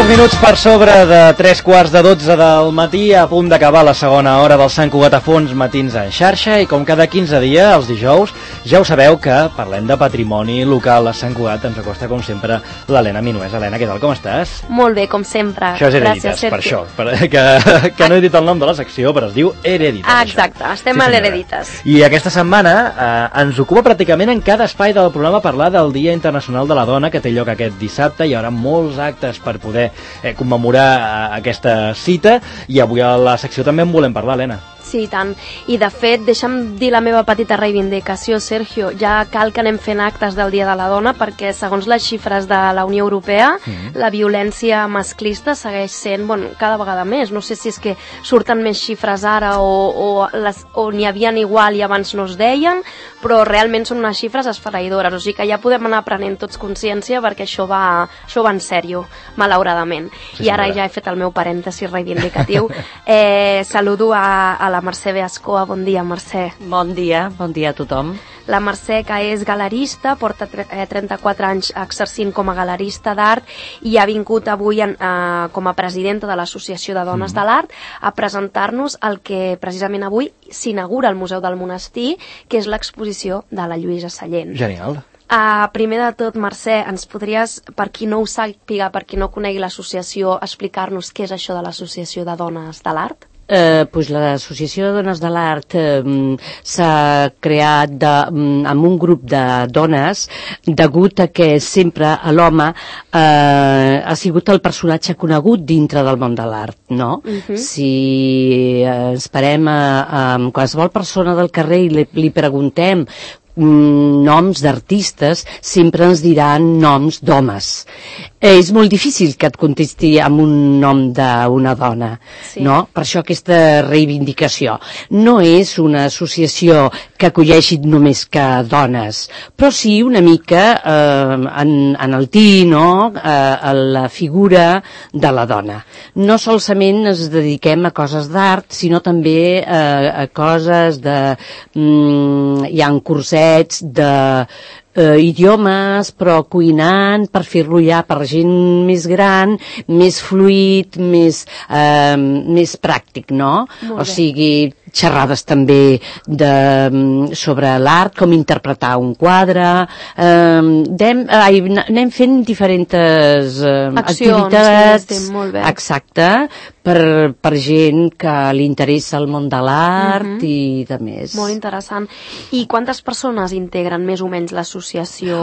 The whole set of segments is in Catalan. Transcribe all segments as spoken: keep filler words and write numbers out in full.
Dos minuts per sobre de tres quarts de dotze del matí, a punt d'acabar la segona hora del Sant Cugat a Fons Matins en xarxa, i com cada quinze dies, els dijous, ja ho sabeu que parlem de patrimoni local a Sant Cugat. Ens acosta, com sempre, l'Helena Minués. Helena, què tal, com estàs? Molt bé, com sempre. Això és Hereditas, Gràcies, per això, per, que, que no he dit el nom de la secció, però es diu Hereditas. Ah, exacte, això. Estem sí, a l'Hereditas. I aquesta setmana eh, ens ocupa pràcticament en cada espai del programa parlar del Dia Internacional de la Dona, que té lloc aquest dissabte. Hi haurà molts actes per poder eh, commemorar eh, aquesta cita, i avui a la secció també en volem parlar, Helena. Sí, tant. I, de fet, deixa'm dir la meva petita reivindicació, Sergio. Ja cal que anem fent actes del Dia de la Dona, perquè, segons les xifres de la Unió Europea, mm-hmm. la violència masclista segueix sent, bueno, cada vegada més. No sé si és que surten més xifres ara o, o, les, o n'hi havien igual i abans no es deien, però realment són unes xifres esfereïdores. O sigui que ja podem anar prenent tots consciència, perquè això va, això va en sèrio, malauradament. Sí, I ara ja he fet el meu parèntesi reivindicatiu. Eh, saludo a, a la Mercè Beascoa. Bon dia, Mercè. Bon dia, bon dia a tothom. La Mercè, que és galerista, porta trenta-quatre anys exercint com a galerista d'art i ha vingut avui en, eh, com a presidenta de l'Associació de Dones mm. de l'Art a presentar-nos el que precisament avui s'inaugura al Museu del Monestir, que és l'exposició de la Lluïsa Sallent. Genial. Uh, primer de tot, Mercè, ens podries, per qui no ho sàpiga, per qui no conegui l'associació, explicar-nos què és això de l'Associació de Dones de l'Art? Eh, pues l'Associació de Dones de l'Art eh, s'ha creat de, amb un grup de dones degut a que sempre l'home eh, ha sigut el personatge conegut dintre del món de l'art, no? Uh-huh. Si eh, esperem a, a qualsevol persona del carrer i li, li preguntem noms d'artistes, sempre ens diran noms d'homes. Eh, és molt difícil que et contesti amb un nom d'una dona, sí. No? Per això aquesta reivindicació. No és una associació que acolleixi només que dones, però sí una mica eh, en, en el tí, no? Eh, a la figura de la dona. No solament ens dediquem a coses d'art, sinó també eh, a coses de... Mm, hi ha un curset de eh, idiomes, però cuinant per fer-lo ja per gent més gran, més fluid, més, eh, més pràctic, no? O sigui, xerrades també de, sobre l'art, com interpretar un quadre, eh, anem, ai, anem fent diferents eh, accions, activitats, sí, molt bé. Exacte, per, per gent que li interessa el món de l'art uh-huh. i de més. Molt interessant. I quantes persones integren més o menys l'associació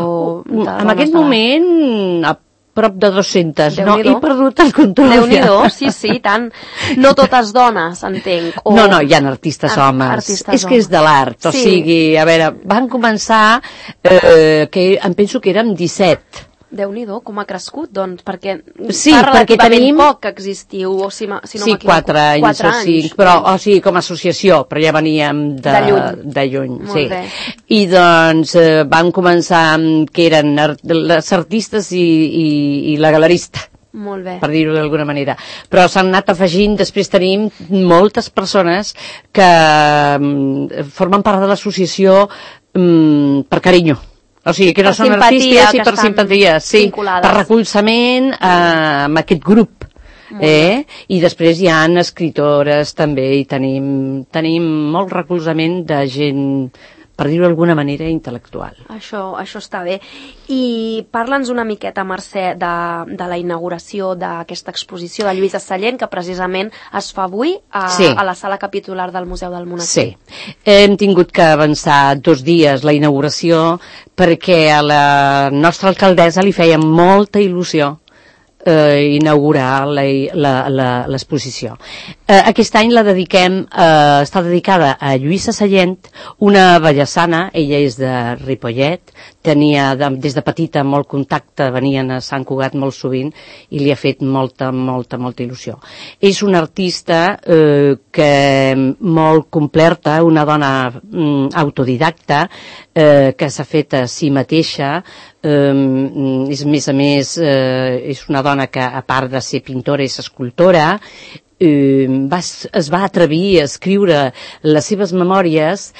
de dones? En aquest moment, a prop de dues-centes, no? He perdut el control. Déu-n'hi-do, sí, sí, tant. No totes dones, entenc. O... No, no, hi ha artistes Ar homes. Artistes és que és de l'art, sí. O sigui, a veure, van començar, eh, que em penso que érem disset. Déu-n'hi-do, com ha crescut, doncs, perquè sí, fa perquè relativament tenim... poc que existiu, o si, si no sí, m'equivoco. quatre anys quatre o cinc, però, o sigui, com a associació, però ja veníem de, de lluny. De lluny Molt sí. bé. I doncs eh, vam començar amb que eren art, les artistes i, i, i la galerista. Molt bé. Per dir-ho d'alguna manera. Però s'han anat afegint, després tenim moltes persones que um, formen part de l'associació um, per carinyo. O sigui, que no són artistes i per simpatia, sí, vinculades. Per recolzament eh, amb aquest grup. Eh? I després hi ha escritores també, i tenim, tenim molt recolzament de gent, per dir-ho d'alguna manera, intel·lectual. Això, això està bé. I parla'ns una miqueta, Mercè, de, de la inauguració d'aquesta exposició de Lluïsa Sallent, que precisament es fa avui a, sí. a la sala capitular del Museu del Monestir. Sí. Hem tingut que avançar dos dies la inauguració perquè a la nostra alcaldessa li feia molta il·lusió eh, inaugurar l'exposició. Eh, aquest any la dediquem, eh, està dedicada a Lluïsa Sallent, una vallesana, ella és de Ripollet, tenia de, des de petita molt contacte, venien a Sant Cugat molt sovint i li ha fet molta, molta, molta il·lusió. És una artista eh, que molt completa, una dona mm, autodidacta, eh, que s'ha fet a si mateixa, eh, és més a més, eh, és una dona que a part de ser pintora és escultora, eh, va, es va atrevir a escriure les seves memòries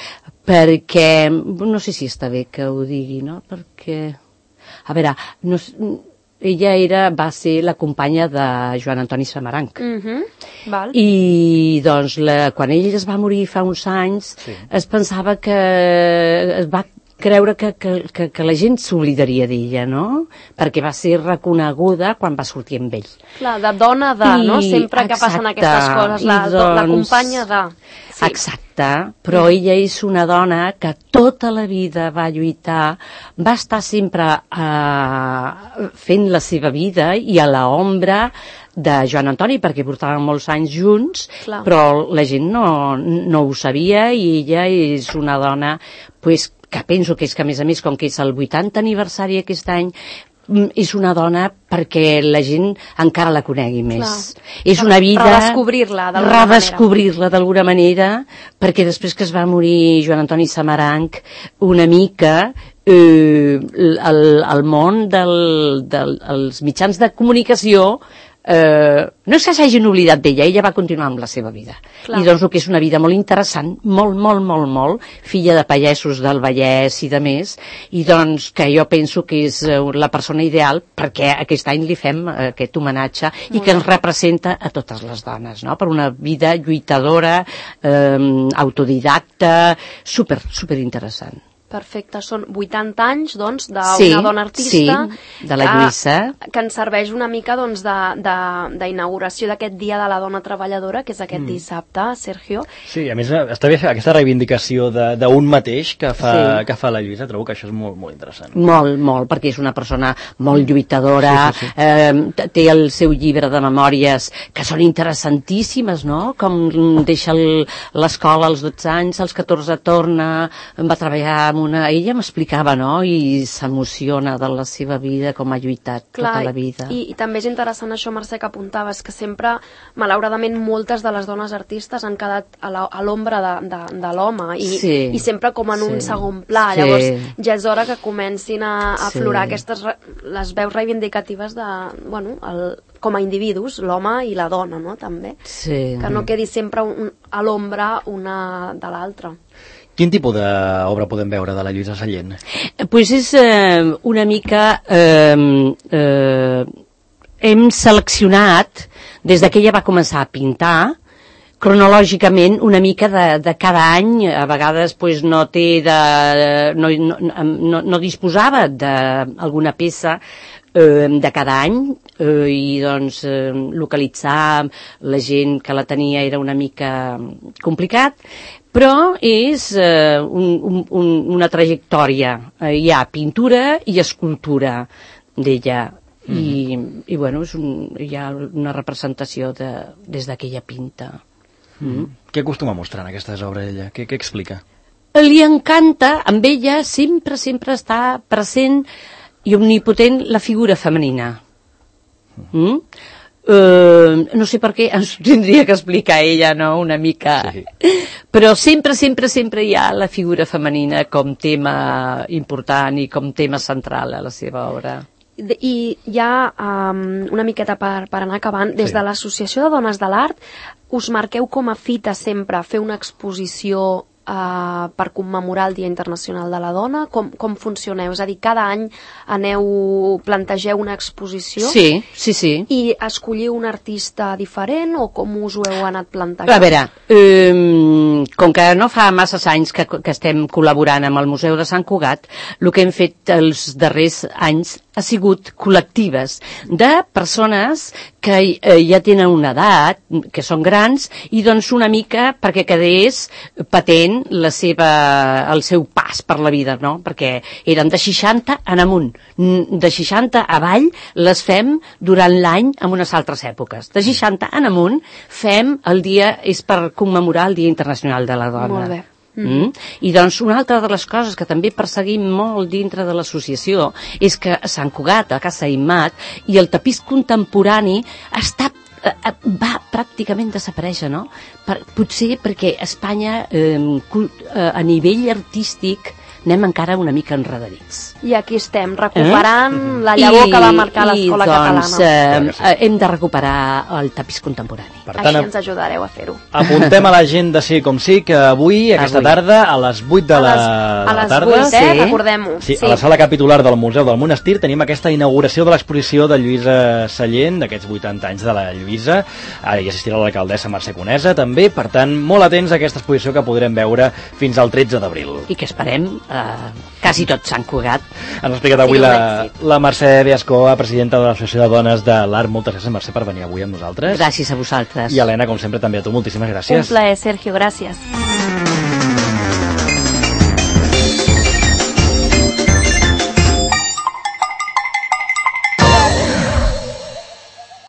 perquè, no sé si està bé que ho digui, no? Perquè, a veure, no, ella era, va ser la companya de Joan Antoni Samaranch. Uh-huh. Val. I doncs la, quan ell es va morir fa uns anys, sí. es pensava que es va creure que, que, que, que la gent s'oblidaria d'ella, no? Perquè va ser reconeguda quan va sortir amb ell. Clar, de dona de, I, no? Sempre que exacte, passen aquestes coses, la, doncs, la companya de... Sí. Exacte, però mm. ella és una dona que tota la vida va lluitar, va estar sempre uh, fent la seva vida i a l'ombra de Joan Antoni, perquè portaven molts anys junts, Clar. Però la gent no, no ho sabia i ella és una dona pues, que penso que és que, a més a més, com que és el vuitanta aniversari aquest any, és una dona perquè la gent encara la conegui més. Clar. És una vida... Redescobrir-la d'alguna manera. Redescobrir-la d'alguna manera, perquè després que es va morir Joan Antoni Samaranch, una mica... Eh, el, el món dels del, dels mitjans de comunicació eh, no és que s'hagin oblidat d'ella, ella va continuar amb la seva vida. Clar. I doncs el que és una vida molt interessant, molt, molt, molt, molt, filla de pagesos del Vallès i de més, i doncs que jo penso que és la persona ideal perquè aquest any li fem aquest homenatge molt i que ens representa a totes les dones, no? Per una vida lluitadora, eh, autodidacta, super, super interessant. Perfecte, són vuitanta anys, doncs, d'una sí, dona artista sí, de la Lluïssa. Que, que ens serveix una mica, doncs, d'inauguració d'aquest Dia de la Dona Treballadora, que és aquest mm. dissabte, Sergio. Sí, a més, està bé aquesta reivindicació d'un mateix que fa, sí. que fa la Lluïssa, trobo que això és molt, molt interessant. Molt, molt, perquè és una persona molt lluitadora, sí, sí, sí. Eh, té el seu llibre de memòries que són interessantíssimes, no? Com deixa l'escola als dotze anys, als catorze torna, va treballar amb una... Ella m'explicava, no?, i s'emociona de la seva vida, com ha lluitat Clar, tota la vida. I, i també és interessant això, Mercè, que apuntaves, que sempre, malauradament, moltes de les dones artistes han quedat a l'ombra de, de, de l'home, i, sí, i sempre com en sí, un segon pla. Sí. Llavors, ja és hora que comencin a, a aflorar sí. aquestes, les veus reivindicatives de, bueno, el, com a individus, l'home i la dona, no?, també. Sí. Que no quedi sempre un, a l'ombra una de l'altra. Quin tipus d'obra podem veure de la Lluïssa Sallent? Pues és eh, una mica... Eh, eh, hem seleccionat, des que ella va començar a pintar, cronològicament una mica de, de cada any, a vegades pues, no té de, no, no, no, no disposava d'alguna peça eh, de cada any, eh, i doncs eh, localitzar la gent que la tenia era una mica complicat, però és eh, un, un, una trajectòria. Eh, hi ha pintura i escultura d'ella. Mm. I, i bueno, és un, hi ha una representació de, des que ella pinta. Mm. Mm. Què acostuma a mostrar en aquestes obres ella? Què, què explica? Li encanta, amb ella sempre, sempre està present i omnipotent la figura femenina. Mm? Uh, no sé per què ens tindria que explicar ella, no?, una mica, sí. Però sempre, sempre, sempre hi ha la figura femenina com tema important i com tema central a la seva obra. I ja um, una miqueta per, per anar acabant, des sí. de l'Associació de Dones de l'Art us marqueu com a fita sempre fer una exposició Uh, per commemorar el Dia Internacional de la Dona? Com, com funcioneu? És a dir, cada any aneu, plantegeu una exposició? Sí, sí, sí. I escolliu un artista diferent o com us ho heu anat plantejant? A veure, um, com que no fa masses anys que, que estem col·laborant amb el Museu de Sant Cugat, el que hem fet els darrers anys ha sigut col·lectives de persones que eh, ja tenen una edat, que són grans, i doncs una mica perquè quedés patent la seva, el seu pas per la vida, no? Perquè eren de seixanta en amunt, de seixanta avall les fem durant l'any en unes altres èpoques. De seixanta en amunt fem el dia, és per commemorar el Dia Internacional de la Dona. Molt bé. Mm. I doncs una altra de les coses que també perseguim molt dintre de l'associació és que a Sant Cugat, a Casa Immat, i el tapís contemporani està va pràcticament desaparèixer, no? Per, potser perquè a Espanya eh, a nivell artístic anem encara una mica enredarits. I aquí estem, recuperant eh? la llavor I, que va marcar l'escola doncs, catalana. Eh, hem de recuperar el tapís contemporani. Per Així tant, ens ajudareu a fer-ho. Apuntem a l'agenda sí com sí que avui, aquesta Avui. tarda, a les vuit de A la, les, a de la les tarda, vuit, eh? Sí. Recordem-ho. sí, a la sala capitular del Museu del Monestir tenim aquesta inauguració de l'exposició de Lluïsa Sallent, d'aquests vuitanta anys de la Lluïsa. Ara hi assistirà l'alcaldessa Mercè Conesa, també. Per tant, molt atents a aquesta exposició que podrem veure fins al tretze d'abril. I que esperem eh, quasi tot Sant Cugat. Ens ha explicat avui Sí, un la, èxit. la Mercè Biascoa, presidenta de l'Associació de Dones de l'Art. Moltes gràcies, Mercè, per venir avui amb nosaltres. Gràcies a vosaltres. I Helena, com sempre, també a tu, moltíssimes gràcies. Un plaer, Sergio, gràcies.